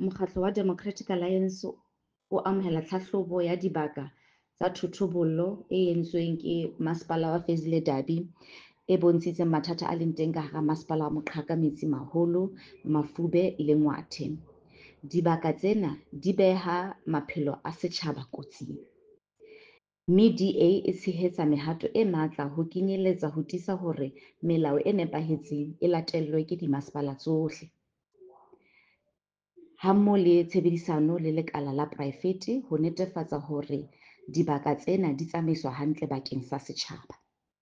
Mokgatlo wa Democratic Alliance o amohela tlhahlobo ya dibaka tsa thotobolo e entsweng ke Masepala wa Fezile Dabi e bontshitseng mathata a leng teng ka hara Masepala wa Moqhaka Metsimaholo, Mafube le Ngwathe. Dibaka tsena di beha maphelo a setjhaba kotsing, mme DA e tshehetsa mehato e matla ho kenyeletsa ho tiisa hore melao e nepahetseng e latellwe ke dimasepala tsohle, hammo le tshebedisano le lekala la poraefete ho netefatsa hore dibaka tsena di tsamaiswa hantle bakeng sa setjhaba.